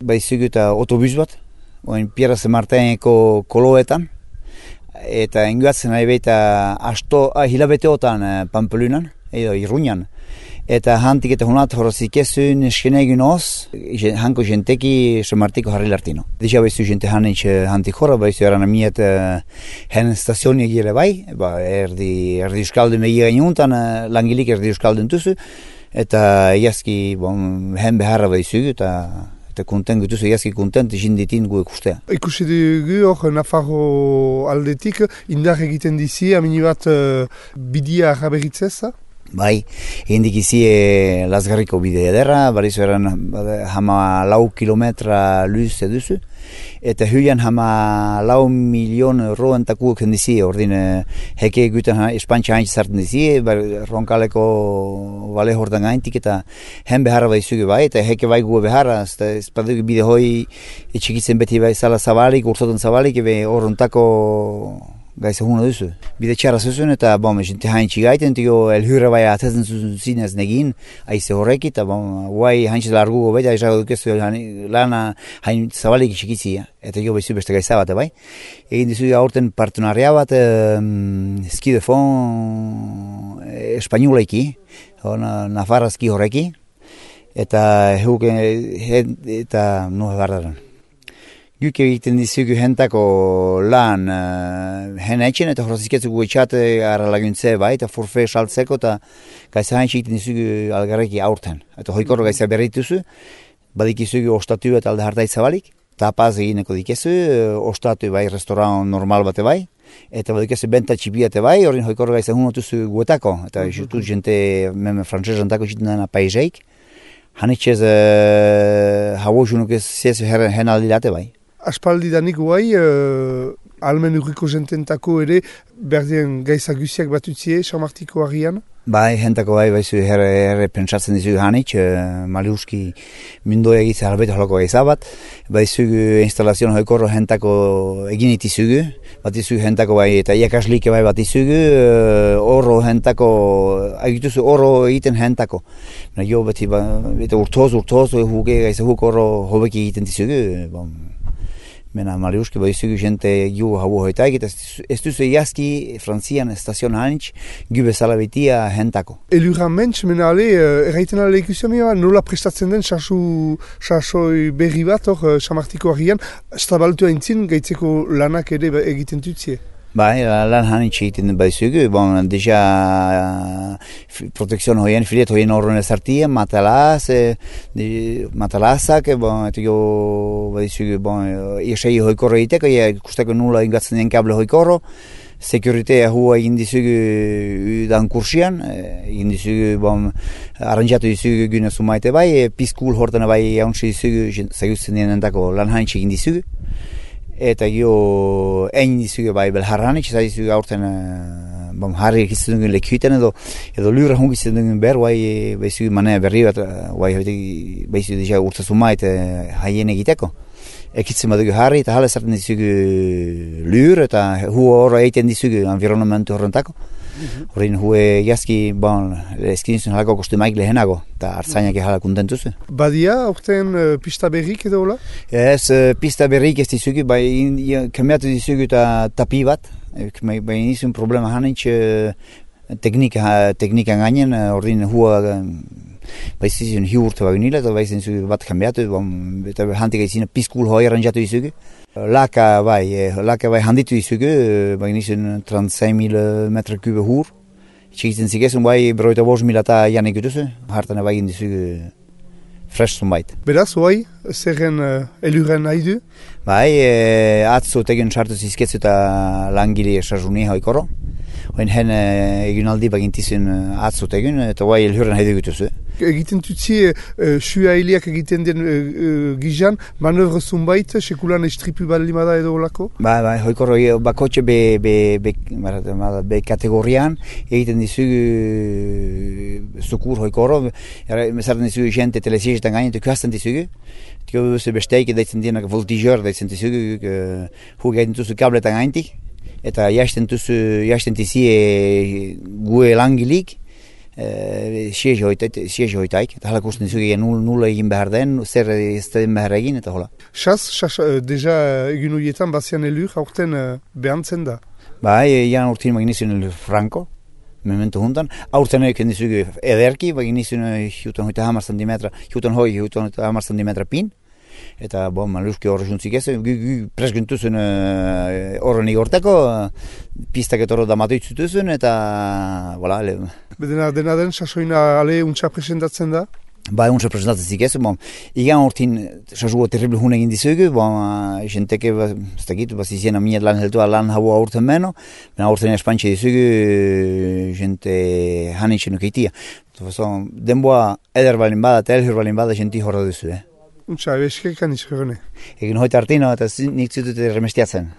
baizugu eta autobus bat, oin Pierre Saint-Martineko koloetan, eta inguatzen nahi baita hilabeteotan Pampelunan, edo Irunian. Eta hantik eta honat horozik ezun eskenegin oz, hanko jenteki Saint-Martiko harri lartino. Dixia baizu jente hantik horra, baizu eran amiet hen stazioni egire bai, erdi euskaldun megi gainuntan, langilik erdi euskaldun tuzu, eta iazki hen beharra baizugu, eta konten gutuzu, iazki kontent jinditin gu ikustea. Ikusi dugu hor Nafarro aldetik, indar egiten dizi, amini bat bidia araberitzeza? Bai, hendik izi Lazgarriko bide ederra, barizu eran hama 4 kilometra luz eduzu, eta huian hama 4 milion euro entakuak hendizi, ordin heke egiten espantxa haintz zarten dizi, ronkaleko bale hortan gaintik, eta hen beharra baizugu bai, eta heke bai gu beharra, espadugu bide hoi etxikitzen beti bai zala zabalik, urtotan zabalik, ebe horrontako gaiza huna duzu. Bide txarra zuzun eta jente haintxi gaiten, tiko elhurra bai atezen zuzun zinez negin, aize horreki, eta guai haintxe largugo beti, aizago dukezu lana hain zabalik txikizia, eta jo behizu beste gaiza bat, bai. Egin dizu aurten partenaria bat, ski de fond espainolaiki, nafarrazki horreki, eta eta no gardaran. Guk egiten dizugu hentako lan hen etxen eta horreziketzugu etxate ara laguntze bai, eta forfe saltzeko eta gaiza hain egiten dizugu algarreki aurten. Eta hoikorro gaiza berrituzu, badikizugu ostatu eta alde hartai zabalik, tapaz egineko dikezu, ostatu bai restaurant normal bate bai, eta badikezu benta txipiate bai, horren hoikorro gaiza hunotuzu guetako, eta jutu jente meme frantzesantako jiten dena paizeik, hanitxez hau junuk ez zezu hen aldilate bai. Aspaldi danik guai, almen urriko jententako ere, berdien gaiza guziak batutzie, Saint-Martiko harrian? Bai, hentako bai, baizu herre pentsatzen dizu hanitx, maliuski mundoa egitzen albeta holoko gaiza bat, baizu instalazion hoikorro hentako egin itizugu, bat izugu hentako bai, eta iakaslike bai bat izugu, oro hentako, agituzu oro egiten hentako. Jo beti, urtoz, huke gaiza huk oro hobeki egiten dizugu, Mena Mariuski baizugu jente gu hau hoitaik, eta ez duzu iazki Frantzian estazion hanitx, gu bezala betia hentako. Elurra mentz, mena ale, erraiten ale ikusia nola prestatzen den sasoi berri bat hor Saint-Martiko harrian, stabaltu haintzin gaitzeko lanak ere egiten dutzie. Bai, lan hanitx egiten baizugu, deja protekzion hoien, filet hoien horren ezartien, matalazak, eta jo baizugu, iesei hoikorro egiteko, ikusteko nula ingatzen den kable hoikorro, sekuritea hua egin dizugu dan kursian, egin dizugu, arranjatu dizugu gune sumaite bai, pizkul hortena bai jauntsi dizugu, zagutzen denentako lan hanitx egin dizugu, eta jo egin dizugu bai belharranik, eta dizugu aurten harri egitzen duen lekuiten edo lurra hungitzen duen ber, baizugu manea berri bat, baizugu dira urtazuma eta haien egiteko. Ekitzen badugu harri eta hala zarten dizugu lur eta hua horra egiten dizugu environmentu horrentako. Horrein hue jazki, eskinizun halako kostumaik lehenago, eta hartzainak hala kontentuzu. Badia, orten pista berrik edo hola? Ez, pista berrik ez dizugu, kamiatu dizugu eta tapi bat, baina izun problema hanitx teknikan gainen, horrein hua baizizun hiu urte bagunila, eta baizizun bat kamiatu, eta hantik aizina pizkul hoi arranjatu dizugu. Laka bai handitu dizugu, baina izun 36.000 metra kube hur. Txikitzen zigezun bai, beroita 5.000 eta janik gutuzu, hartana bai dizugu fresh zunbait. Beraz, bai, zerren elurren nahi du? Bai, atzo tegen sartu zizketzu eta langile sarjuni hoikorro. Hoin hen egunaldi bagintizun atzo tegen, eta bai elurren nahi du gutuzu. Egiten tutzi, sua hiliak egiten den gizan, manövre zunbait, sekulan estripu balimada edo olako? Bai, hoikorro bakotxe be kategorian, egiten dizugu zukur hoikorro, mesarten dizugu jente telesiegetan gainen, tukuazten dizugu, tiko besteik daitzen dienak voltigeur daitzen dizugu, hu gaiten tuzu kabletan gaintik, eta jasten tizie gue langilik, siege hoitaik, eta halak usten dizugu nula egin behar den, zer ez den behar egin, eta hola. Deja egin horietan bazian elur, aurten behantzen da. Ian urtin magnizien Franco, memento juntan. Aurten egin dizugu ederki, magnizien hiutan hoita hamar centimetra, hiutan hamar centimetra pin, eta maluski horre juntzik ez, presgintuzun horren igorteko, pistak eta horro damatu itzutuzun, eta, Dena den, sasoina ale untsa presentatzen da? Untsa presentatzen zik ez, igan urtin sasugo terrible hun egin dizugu, jenteke, ez dakit, izien aminet lan heltua lan hau aurten meno, aurten espantxe dizugu, jente hanitxen ukeitia. Denboa eder balin bada, eta elhur balin bada, jenti horra duzu, Untsa, eskerkan izkorene. Egin hoita artino, eta nik zutute remestiatzen.